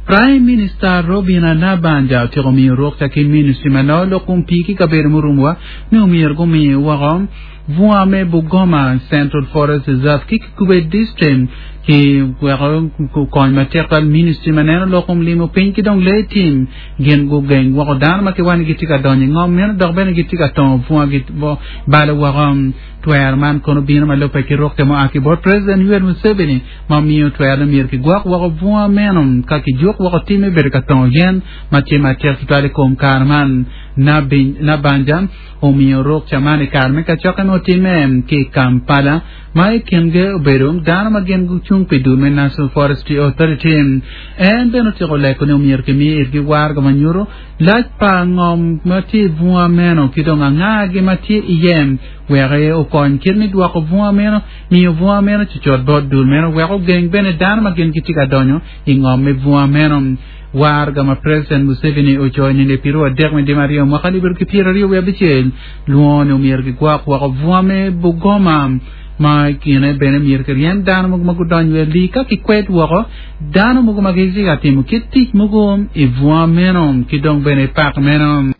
Prime Minister Robinah Nabbanja otyeko miyo rukca ki ministry ma loyo lok kom pii ki kabedo murumowa ni omyero gumi woko bunga me Bugoma Central Forest Reserve ki Kikube District ki weko kony matek twal ministry ma neno lok kom limo piny ki dong lee tim gin gugeng woko dano ma kiwaco ni gitye ka donyo i ngom meno dok bene gitye ka tongo bunga gibalo woko. Twero man kono bino ma lubbe ki rukke mua ki bot President Yoweri Museveni ma omiyo twero ni myero kigwok woko bunga meno ka kijuk woko tim me bedo ka tongo yen ma tye matek tutwal i kom kare man. Nabbanja omiyo rukca man i kare me kacokke ma otimme ki i Kampala ma i kingi obedo dano ma gin gucung pi dul me National Forestry Authority. En bene otyeko leko ni omyero kimi itgi waraga ma nyuto Lac pa ngom ma tye i bunga meno ki dong angagi ma tye iye wek okony kit me dwoko bunga meno, miyo bunga meno cucut bot dul meno wek ogeng bene dano ma gin gitye ka donyo i ngom me bunga meno. Waraga ma President Museveni ocoyo nino epiro adek me dwe aryo mwaka alip aryo ki pyeraryo wiye abicel lwongo ni omyero gigwok woko bunga me Bugoma ma i kine bene myero kiryem dano mogo ma gudonyo i alii ka kikwed woko Dano mogo ma gitye ka timo kit tic mogo i bunga meno ki dong bene i pak meno.